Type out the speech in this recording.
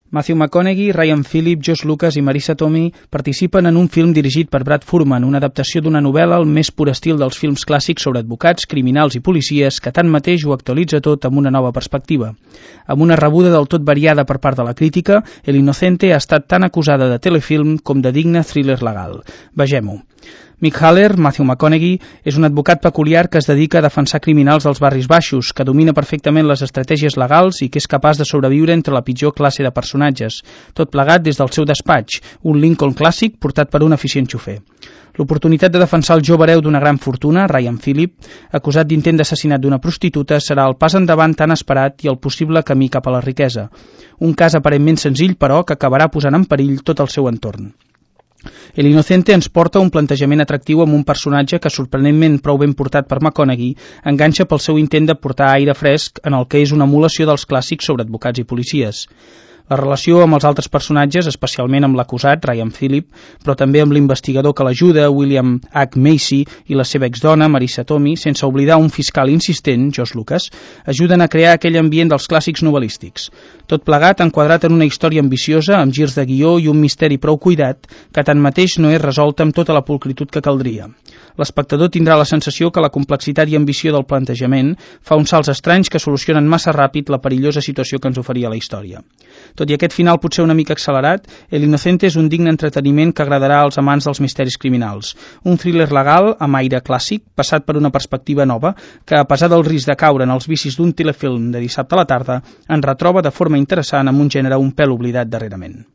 Matthew McConaughey, Ryan Phillippe, Josh Lucas i Marisa Tomei participen en un film dirigit per Brad Furman, una adaptació d'una novel·la al més pur estil dels films clàssics sobre advocats, criminals i policies, que tanmateix ho actualitza tot amb una nova perspectiva. Amb una rebuda del tot variada per part de la crítica, El Inocente ha estat tan acusada de telefilm com de digne thriller legal. Vegem-ho. Mick Haller, Matthew McConaughey, és un advocat peculiar que es dedica a defensar criminals dels barris baixos, que domina perfectament les estratègies legals i que és capaç de sobreviure entre la pitjor classe de personatges, tot plegat des del seu despatx, un Lincoln clàssic portat per un eficient xofer. L'oportunitat de defensar el jove hereu d'una gran fortuna, Ryan Phillippe, acusat d'intent d'assassinat d'una prostituta, serà el pas endavant tan esperat i el possible camí cap a la riquesa. Un cas aparentment senzill, però, que acabarà posant en perill tot el seu entorn. El Inocente ens porta un plantejament atractiu amb un personatge que, sorprenentment prou ben portat per McConaughey, enganxa pel seu intent de portar aire fresc en el que és una emulació dels clàssics sobre advocats i policies. La relació amb els altres personatges, especialment amb l'acusat, Ryan Phillippe, però també amb l'investigador que l'ajuda, William H. Macy, i la seva exdona, Marisa Tomei, sense oblidar un fiscal insistent, Josh Lucas, ajuden a crear aquell ambient dels clàssics novel·lístics. Tot plegat enquadrat en una història ambiciosa, amb girs de guió i un misteri prou cuidat, que tanmateix no és resolta amb tota la pulcritud que caldria. L'espectador tindrà la sensació que la complexitat i ambició del plantejament fa uns salts estranys que solucionen massa ràpid la perillosa situació que ens oferia la història. Tot i aquest final potser una mica accelerat, El Inocente és un digne entreteniment que agradarà als amants dels misteris criminals. Un thriller legal amb aire clàssic, passat per una perspectiva nova, que a pesar del risc de caure en els vicis d'un telefilm de dissabte a la tarda, ens retroba de forma interessant amb un gènere un pèl oblidat darrerament.